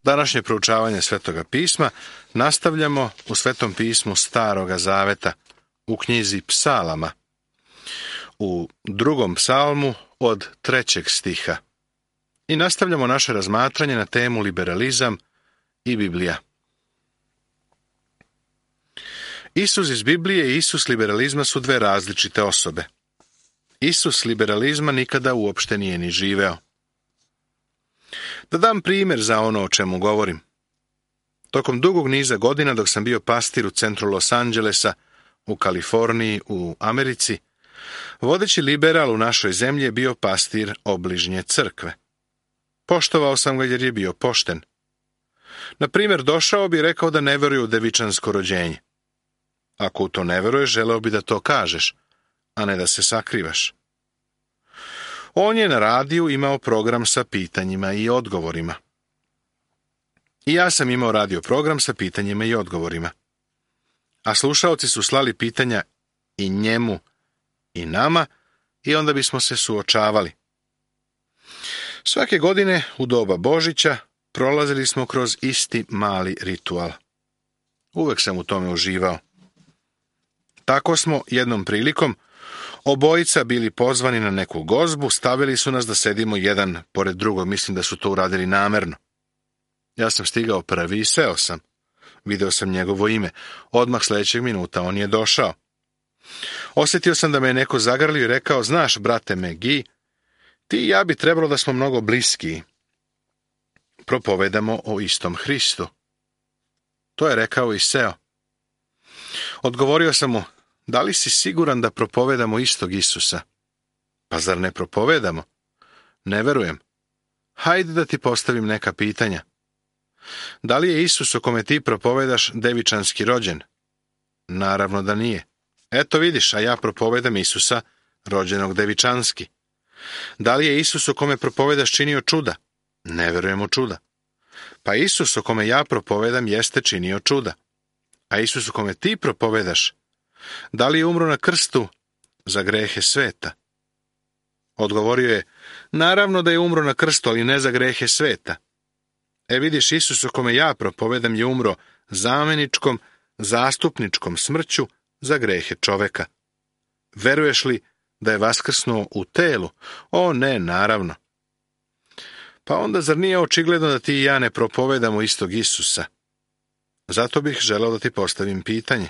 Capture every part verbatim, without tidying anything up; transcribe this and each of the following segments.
Današnje proučavanje Svetoga pisma nastavljamo u Svetom pismu Staroga zaveta, u knjizi Psalama, u drugom psalmu od trećeg stiha. I nastavljamo naše razmatranje na temu liberalizam i Biblija. Isus iz Biblije i Isus liberalizma su dve različite osobe. Isus liberalizma nikada uopšte nije ni živeo. Da dam primjer za ono o čemu govorim. Tokom dugog niza godina dok sam bio pastir u centru Los Angelesa, u Kaliforniji, u Americi, vodeći liberal u našoj zemlji je bio pastir obližnje crkve. Poštovao sam ga jer je bio pošten. Na primjer, došao bi i rekao da ne veruje u devičansko rođenje. Ako u to ne veruješ, želeo bi da to kažeš, a ne da se sakrivaš. On je na radiju imao program sa pitanjima i odgovorima. I ja sam imao radio program sa pitanjima i odgovorima. A slušaoci su slali pitanja i njemu i nama i onda bismo se suočavali. Svake godine u doba Božića prolazili smo kroz isti mali ritual. Uvek sam u tome uživao. Tako smo jednom prilikom obojica bili pozvani na neku gozbu, stavili su nas da sedimo jedan pored drugog, mislim da su to uradili namerno. Ja sam stigao prvi i seo sam. Video sam njegovo ime. Odmah sljedećeg minuta on je došao. Osjetio sam da me je neko zagrlio i rekao, znaš, brate Megi, ti i ja bi trebalo da smo mnogo bliskiji. Propovedamo o istom Hristu. To je rekao i seo. Odgovorio sam mu, da li si siguran da propovedamo istog Isusa? Pa zar ne propovedamo? Ne verujem. Hajde da ti postavim neka pitanja. Da li je Isus o kome ti propovedaš devičanski rođen? Naravno da nije. Eto vidiš, a ja propovedam Isusa rođenog devičanski. Da li je Isus o kome propovedaš činio čuda? Ne verujem u čuda. Pa Isus o kome ja propovedam jeste činio čuda. A Isus o kome ti propovedaš, da li je umro na krstu za grehe sveta? Odgovorio je, naravno da je umro na krstu, ali ne za grehe sveta. E vidiš, Isus o kome ja propovedam je umro zameničkom, zastupničkom smrću za grehe čoveka. Veruješ li da je vaskrsnuo u telu? O ne, naravno. Pa onda zar nije očigledno da ti i ja ne propovedamo istog Isusa? Zato bih želeo da ti postavim pitanje.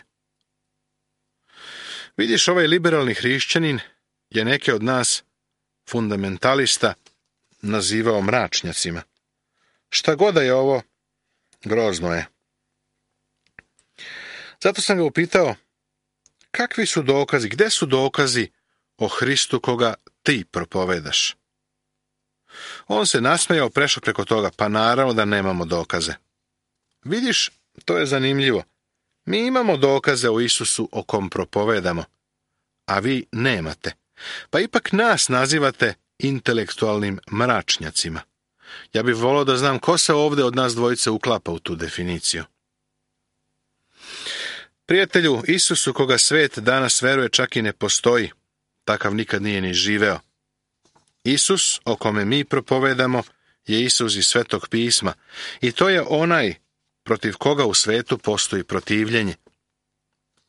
Vidiš, ovaj liberalni hrišćanin je neke od nas fundamentalista nazivao mračnjacima. Šta god da je ovo, grozno je. Zato sam ga upitao, kakvi su dokazi, gde su dokazi o Hristu koga ti propovedaš? On se nasmejao, prešao preko toga, pa naravno da nemamo dokaze. Vidiš, to je zanimljivo. Mi imamo dokaze o Isusu o kom propovedamo, a vi nemate. Pa ipak nas nazivate intelektualnim mračnjacima. Ja bih volio da znam ko se ovdje od nas dvojice uklapa u tu definiciju. Prijatelju, Isusu koga svet danas veruje čak i ne postoji. Takav nikad nije ni živeo. Isus o kome mi propovedamo je Isus iz Svetog pisma i to je onaj protiv koga u svetu postoji protivljenje.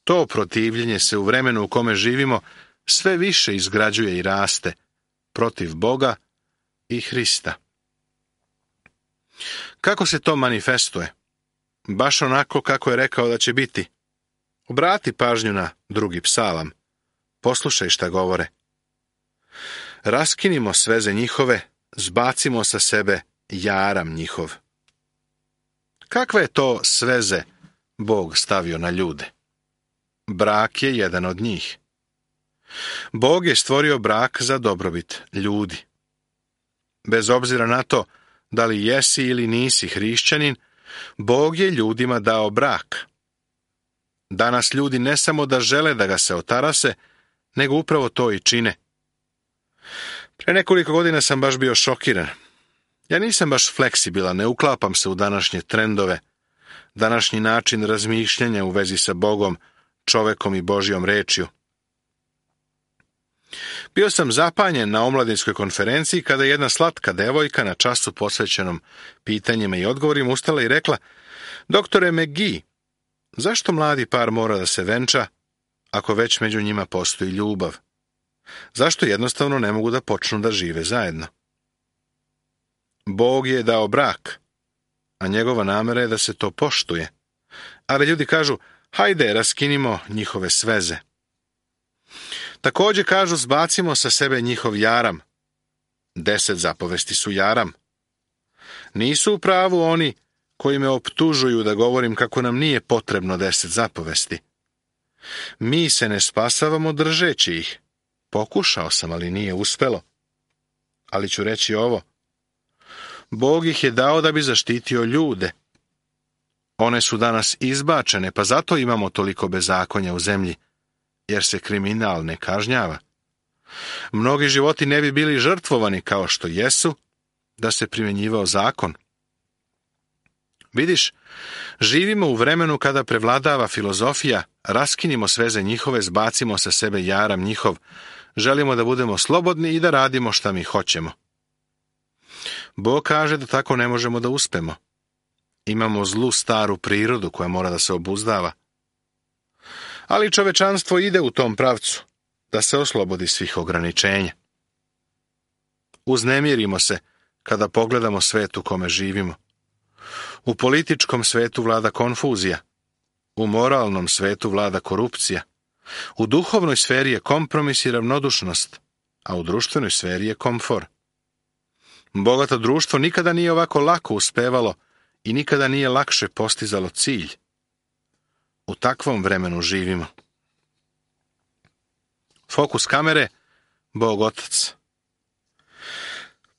To protivljenje se u vremenu u kome živimo sve više izgrađuje i raste protiv Boga i Hrista. Kako se to manifestuje? Baš onako kako je rekao da će biti. Obrati pažnju na drugi psalam. Poslušaj šta govore. Raskinimo sveze njihove, zbacimo sa sebe jaram njihov. Kakve je to sveze Bog stavio na ljude? Brak je jedan od njih. Bog je stvorio brak za dobrobit ljudi. Bez obzira na to da li jesi ili nisi hrišćanin, Bog je ljudima dao brak. Danas ljudi ne samo da žele da ga se otarase, nego upravo to i čine. Pre nekoliko godina sam baš bio šokiran. Ja nisam baš fleksibilan, ne uklapam se u današnje trendove, današnji način razmišljanja u vezi sa Bogom, čovekom i Božjom rečju. Bio sam zapanjen na omladinskoj konferenciji kada je jedna slatka devojka na času posvećenom pitanjima i odgovorima ustala i rekla: Doktore McGee, zašto mladi par mora da se venča ako već među njima postoji ljubav? Zašto jednostavno ne mogu da počnu da žive zajedno? Bog je dao brak, a njegova namera je da se to poštuje. Ali ljudi kažu: hajde, raskinimo njihove sveze. Također kažu: zbacimo sa sebe njihov jaram. Deset zapovesti su jaram. Nisu u pravu oni koji me optužuju da govorim kako nam nije potrebno deset zapovesti. Mi se ne spasavamo držeći ih. Pokušao sam, ali nije uspelo. Ali ću reći ovo. Bog ih je dao da bi zaštitio ljude. One su danas izbačene, pa zato imamo toliko bezakonja u zemlji, jer se kriminal ne kažnjava. Mnogi životi ne bi bili žrtvovani kao što jesu, da se primjenjivao zakon. Vidiš, živimo u vremenu kada prevladava filozofija: raskinimo sveze njihove, zbacimo sa sebe jaram njihov, želimo da budemo slobodni i da radimo šta mi hoćemo. Bog kaže da tako ne možemo da uspemo. Imamo zlu staru prirodu koja mora da se obuzdava. Ali čovečanstvo ide u tom pravcu, da se oslobodi svih ograničenja. Uznemirimo se kada pogledamo svet u kome živimo. U političkom svetu vlada konfuzija, u moralnom svetu vlada korupcija, u duhovnoj sferi je kompromis i ravnodušnost, a u društvenoj sferi je komfor. Bogato društvo nikada nije ovako lako uspevalo i nikada nije lakše postizalo cilj. U takvom vremenu živimo. Fokus kamere: Bog Otac.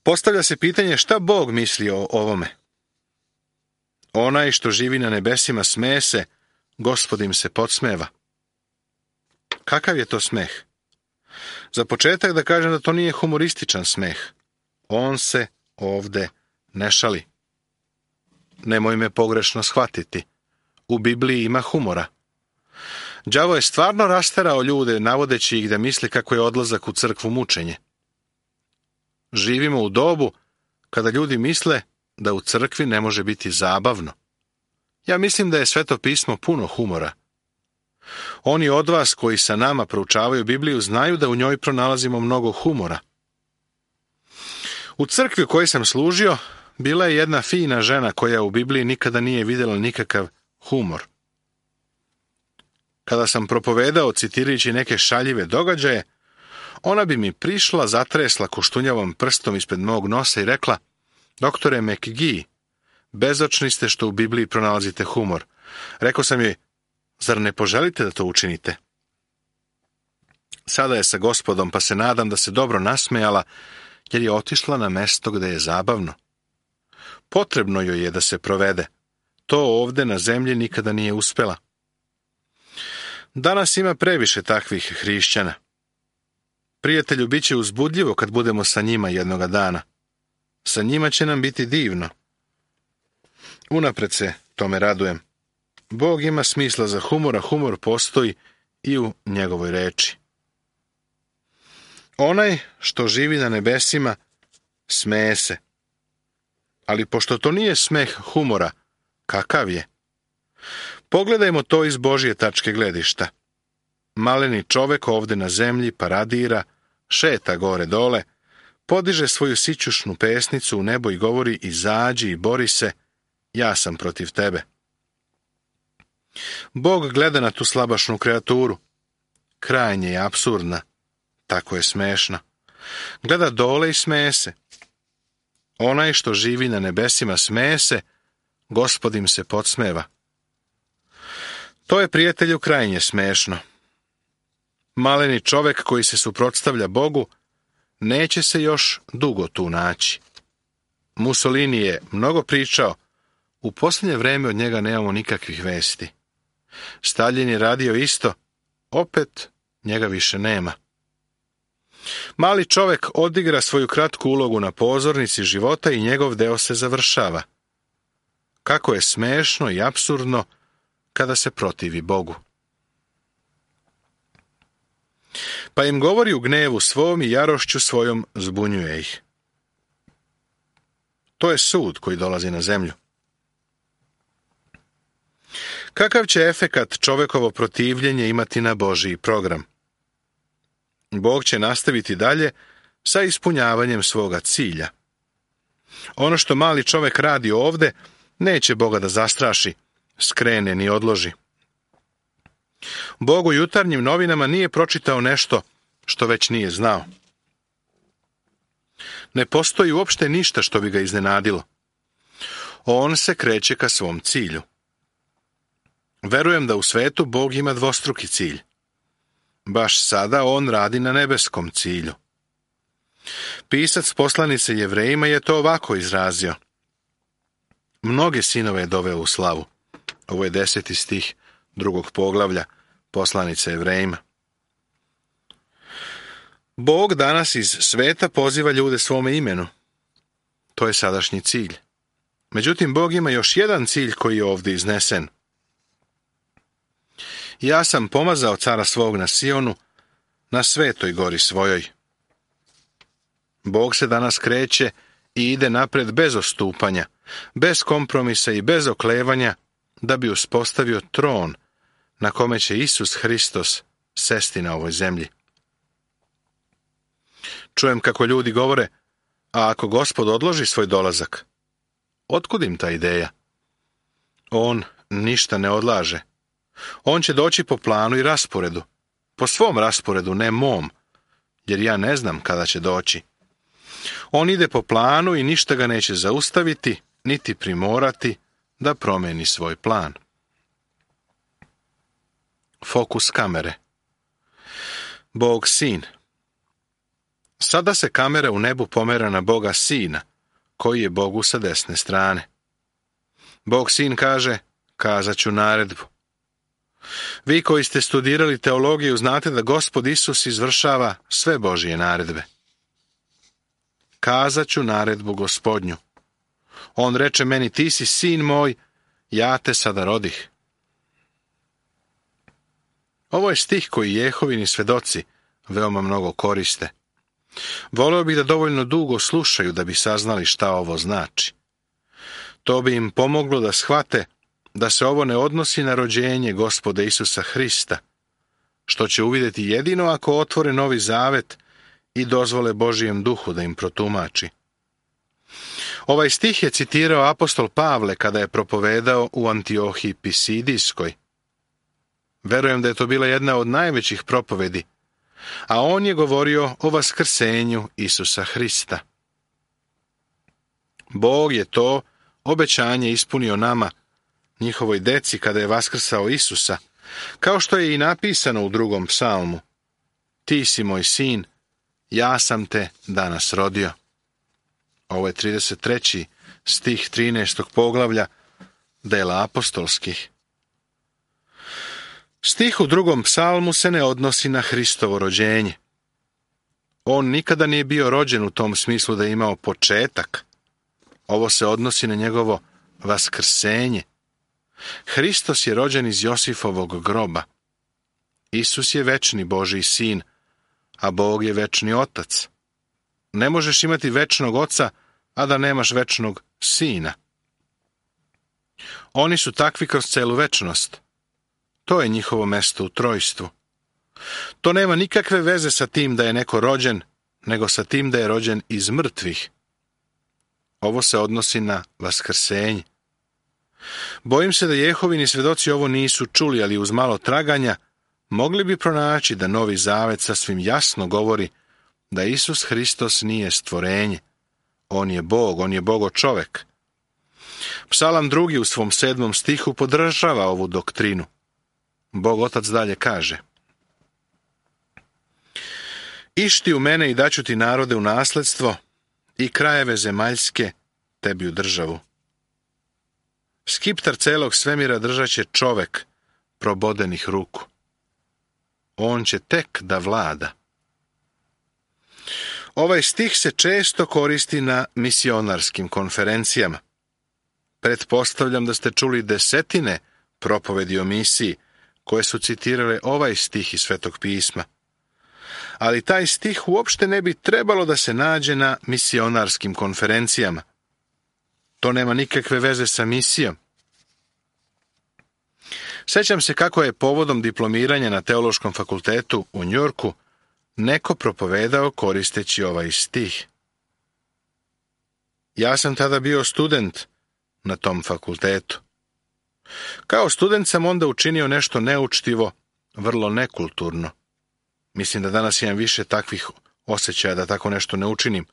Postavlja se pitanje šta Bog misli o ovome. Onaj što živi na nebesima smeje se, Gospod im se podsmeva. Kakav je to smeh? Za početak da kažem da to nije humorističan smeh. On se ovde ne šali. Nemoj me pogrešno shvatiti. U Bibliji ima humora. Đavo je stvarno rasterao ljude, navodeći ih da misli kako je odlazak u crkvu mučenje. Živimo u dobu kada ljudi misle da u crkvi ne može biti zabavno. Ja mislim da je Sveto pismo puno humora. Oni od vas koji sa nama proučavaju Bibliju znaju da u njoj pronalazimo mnogo humora. U crkvi u kojoj sam služio bila je jedna fina žena koja u Bibliji nikada nije vidjela nikakav humor. Kada sam propovedao citirajući neke šaljive događaje, ona bi mi prišla, zatresla koštunjavom prstom ispred mog nosa i rekla: Doktore McGee, bezočni ste što u Bibliji pronalazite humor. Rekao sam joj: zar ne poželite da to učinite? Sada je sa Gospodom, pa se nadam da se dobro nasmejala, jer je otišla na mesto gde je zabavno. Potrebno joj je da se provede. To ovde na zemlji nikada nije uspela. Danas ima previše takvih hrišćana. Prijatelju, bit će uzbudljivo kad budemo sa njima jednoga dana. Sa njima će nam biti divno. Unapred se tome radujem. Bog ima smisla za humor, a humor postoji i u njegovoj reči. Onaj što živi na nebesima smeje se. Ali pošto to nije smeh humora, kakav je? Pogledajmo to iz Božje tačke gledišta. Maleni čovek ovde na zemlji paradira, šeta gore dole, podiže svoju sićušnu pesnicu u nebo i govori: izađi i bori se, ja sam protiv tebe. Bog gleda na tu slabašnu kreaturu. Krajnje je apsurdna, tako je smešna. Gleda dole i smeje se. Onaj što živi na nebesima smeje se, Gospod im se podsmeva. To je, prijatelju, krajnje smešno. Maleni čovek koji se suprotstavlja Bogu neće se još dugo tu naći. Mussolini je mnogo pričao, u posljednje vreme od njega nemamo nikakvih vesti. Stalin je radio isto, opet njega više nema. Mali čovek odigra svoju kratku ulogu na pozornici života i njegov deo se završava. Kako je smešno i apsurdno kada se protivi Bogu. pa im govori u gnevu svom i jarošću svojom zbunjuje ih. To je sud koji dolazi na zemlju. Kakav će efekat čovekovo protivljenje imati na Božji program? Bog će nastaviti dalje sa ispunjavanjem svoga cilja. Ono što mali čovek radi ovde, neće Boga da zastraši, skrene ni odloži. Bog u jutarnjim novinama nije pročitao nešto što već nije znao. Ne postoji uopšte ništa što bi ga iznenadilo. On se kreće ka svom cilju. Verujem da u svetu Bog ima dvostruki cilj. Baš sada on radi na nebeskom cilju. Pisac poslanice Jevrejima je to ovako izrazio. Mnoge sinove je doveo u slavu. Ovo je deseti stih drugog poglavlja poslanice Jevrejima. Bog danas iz sveta poziva ljude svome imenu. To je sadašnji cilj. Međutim, Bog ima još jedan cilj koji je ovdje iznesen. Ja sam pomazao cara svog na Sionu, na svetoj gori svojoj. Bog se danas kreće i ide napred bez ostupanja, bez kompromisa i bez oklevanja, da bi uspostavio tron na kome će Isus Hristos sesti na ovoj zemlji. Čujem kako ljudi govore, a ako Gospod odloži svoj dolazak, otkud im ta ideja? On ništa ne odlaže. On će doći po planu i rasporedu. Po svom rasporedu, ne mom, jer ja ne znam kada će doći. On ide po planu i ništa ga neće zaustaviti, niti primorati da promeni svoj plan. Fokus kamere. Bog Sin. Sada se kamera u nebu pomera na Boga Sina, koji je Bogu sa desne strane. Bog Sin kaže, kazat ću naredbu. Vi koji ste studirali teologiju znate da Gospod Isus izvršava sve Božije naredbe. Kazat ću naredbu Gospodnju. On reče meni, ti si sin moj, ja te sada rodih. Ovo je stih koji Jehovini svedoci veoma mnogo koriste. Voleo bih da dovoljno dugo slušaju da bi saznali šta ovo znači. To bi im pomoglo da shvate da se ovo ne odnosi na rođenje Gospoda Isusa Hrista, što će uvidjeti jedino ako otvore Novi Zavet i dozvole Božijem duhu da im protumači. Ovaj stih je citirao apostol Pavle kada je propovedao u Antiohiji Pisidijskoj. Verujem da je to bila jedna od najvećih propovedi, a on je govorio o vaskrsenju Isusa Hrista. Bog je to obećanje ispunio nama, njihovoj deci, kada je vaskrsao Isusa, kao što je i napisano u drugom psalmu. Ti si moj sin, ja sam te danas rodio. Ovo je trideset treći stih trinaestog poglavlja dela apostolskih. Stih u drugom psalmu se ne odnosi na Hristovo rođenje. On nikada nije bio rođen u tom smislu da je imao početak. Ovo se odnosi na njegovo vaskrsenje. Hristos je rođen iz Josifovog groba. Isus je večni Božji sin, a Bog je večni otac. Ne možeš imati večnog oca, a da nemaš večnog sina. Oni su takvi kroz celu večnost. To je njihovo mesto u trojstvu. To nema nikakve veze sa tim da je neko rođen, nego sa tim da je rođen iz mrtvih. Ovo se odnosi na vaskrsenje. Bojim se da Jehovini svedoci ovo nisu čuli, ali uz malo traganja mogli bi pronaći da Novi Zavet sasvim jasno govori da Isus Hristos nije stvorenje. On je Bog, on je Bogo čovek. Psalam drugi u svom sedmom stihu podržava ovu doktrinu. Bog Otac dalje kaže: Išti u mene i daću ti narode u nasledstvo i krajeve zemaljske tebi u državu. Skiptar celog svemira držat će čovek probodenih ruku. On će tek da vlada. Ovaj stih se često koristi na misionarskim konferencijama. Pretpostavljam da ste čuli desetine propovedi o misiji koje su citirale ovaj stih iz Svetog pisma. ali taj stih uopšte ne bi trebalo da se nađe na misionarskim konferencijama. To nema nikakve veze sa misijom. Sećam se kako je povodom diplomiranja na Teološkom fakultetu u Njujorku neko propovedao koristeći ovaj stih. Ja sam tada bio student na tom fakultetu. Kao student sam onda učinio nešto neučtivo, vrlo nekulturno. Mislim da danas imam više takvih osjećaja da tako nešto ne učinim.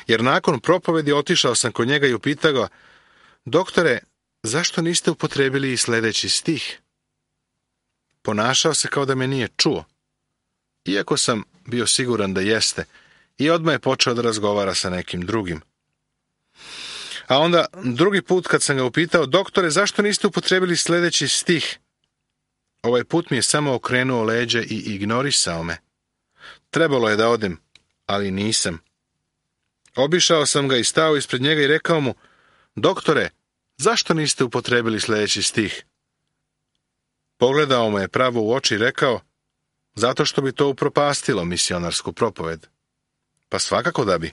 Jer nakon propovedi otišao sam kod njega i upitao ga, doktore, zašto niste upotrebili i sljedeći stih? Ponašao se kao da me nije čuo, iako sam bio siguran da jeste, i odmah je počeo da razgovara sa nekim drugim. A onda drugi put kad sam ga upitao, doktore, zašto niste upotrebili sljedeći stih? Ovaj put mi je samo okrenuo leđe i ignorisao me. Trebalo je da odem, ali nisam. Obišao sam ga i stao ispred njega i rekao mu, doktore, zašto niste upotrebili sljedeći stih? Pogledao me je pravo u oči i rekao, zato što bi to upropastilo misionarsku propoved. Pa svakako da bi.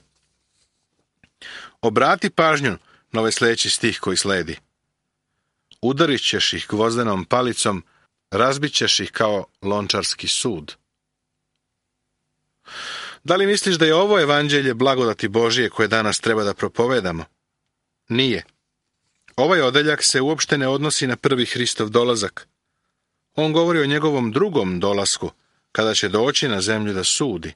Obrati pažnju na ovaj sljedeći stih koji sledi. Udarit ćeš ih gvozdenom palicom, razbit ćeš ih kao lončarski sud. Da li misliš da je ovo evanđelje blagodati Božije koje danas treba da propovedamo? Nije. Ovaj odeljak se uopšte ne odnosi na prvi Hristov dolazak. On govori o njegovom drugom dolasku, kada će doći na zemlju da sudi.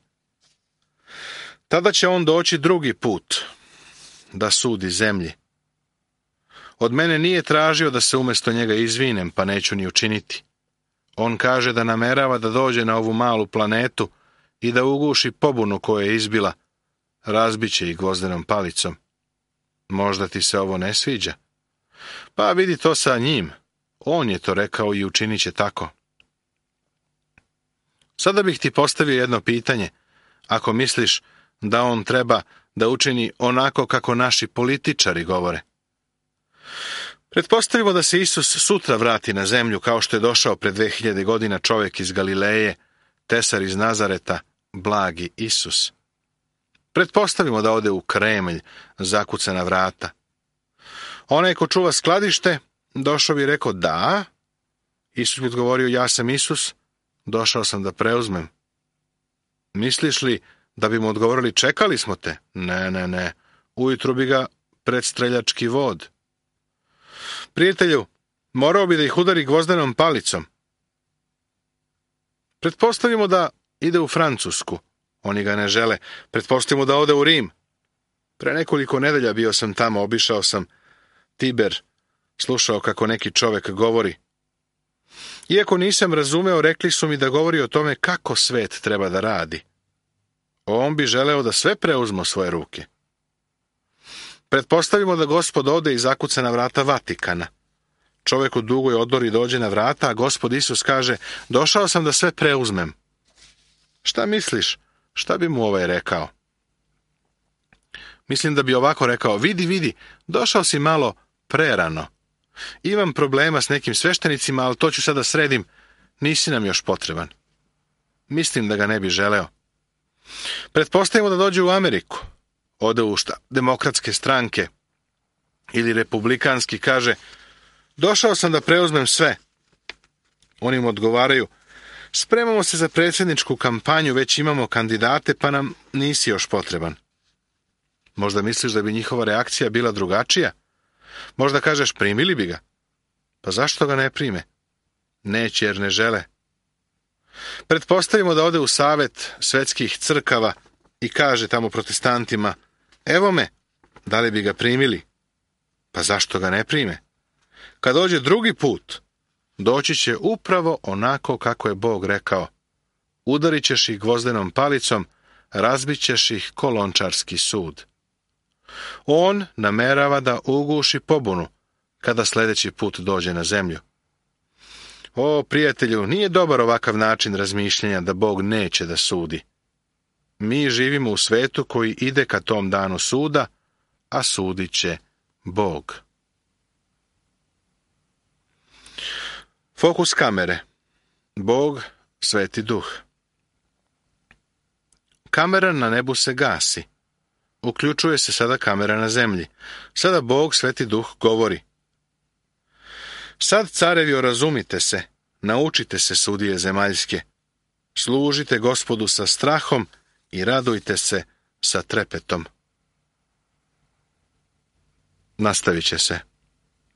Tada će on doći drugi put, da sudi zemlji. Od mene nije tražio da se umjesto njega izvinem, pa neću ni učiniti. On kaže da namerava da dođe na ovu malu planetu i da uguši pobunu koja je izbila, razbiće ih gvozdenom palicom. Možda ti se ovo ne sviđa? Pa vidi to sa njim. On je to rekao i učinit će tako. Sada bih ti postavio jedno pitanje, ako misliš da on treba da učini onako kako naši političari govore. Pretpostavimo da se Isus sutra vrati na zemlju kao što je došao pred dve hiljade godina čovjek iz Galileje, tesar iz Nazareta, blagi Isus. Pretpostavimo da ode u Kremlj, zakuca na vrata. Onaj ko čuva skladište, došao bi i rekao, da. Isus bi odgovorio, ja sam Isus, došao sam da preuzmem. Misliš li da bi mu odgovorili, čekali smo te? Ne, ne, ne. Ujutru bi ga predstreljački vod. Prijatelju, morao bi da ih udari gvozdenom palicom. Pretpostavimo da ide u Francusku. Oni ga ne žele. Pretpostavimo da ode u Rim. Pre nekoliko nedelja bio sam tamo, obišao sam Tiber, slušao kako neki čovek govori. Iako nisam razumeo, rekli su mi da govori o tome kako svet treba da radi. On bi želeo da sve preuzme u svoje ruke. Pretpostavimo da Gospod ode i zakuca na vrata Vatikana. Čovjek u dugoj odori dođe na vrata, a Gospod Isus kaže, došao sam da sve preuzmem. Šta misliš? Šta bi mu ovaj rekao? Mislim da bi ovako rekao, vidi, vidi, došao si malo prerano. Imam problema s nekim sveštenicima, ali to ću sada sredim, nisi nam još potreban. Mislim da ga ne bi želeo. Pretpostavimo da dođe u Ameriku, ode u šta, demokratske stranke ili republikanski, kaže, došao sam da preuzmem sve. Oni mu odgovaraju, spremamo se za predsjedničku kampanju, već imamo kandidate, pa nam nisi još potreban. Možda misliš da bi njihova reakcija bila drugačija? Možda kažeš, primili bi ga. Pa zašto ga ne prime? Neće jer ne žele. Pretpostavimo da ode u savet svetskih crkava i kaže tamo protestantima, evo me, da li bi ga primili? Pa zašto ga ne prime? Kad dođe drugi put, doći će upravo onako kako je Bog rekao. Udarit ćeš ih gvozdenom palicom, razbit ćeš ih ko lončarski sud. On namerava da uguši pobunu kada sljedeći put dođe na zemlju. O, prijatelju, nije dobar ovakav način razmišljanja da Bog neće da sudi. Mi živimo u svetu koji ide ka tom danu suda, a sudit će Bog. Fokus kamere. Bog, Sveti Duh. kamera na nebu se gasi. Uključuje se sada kamera na zemlji. Sada Bog, Sveti Duh, govori. Sad, carevi, orazumite se, naučite se, sudije zemaljske. Služite Gospodu sa strahom i radujte se sa trepetom. Nastavit će se.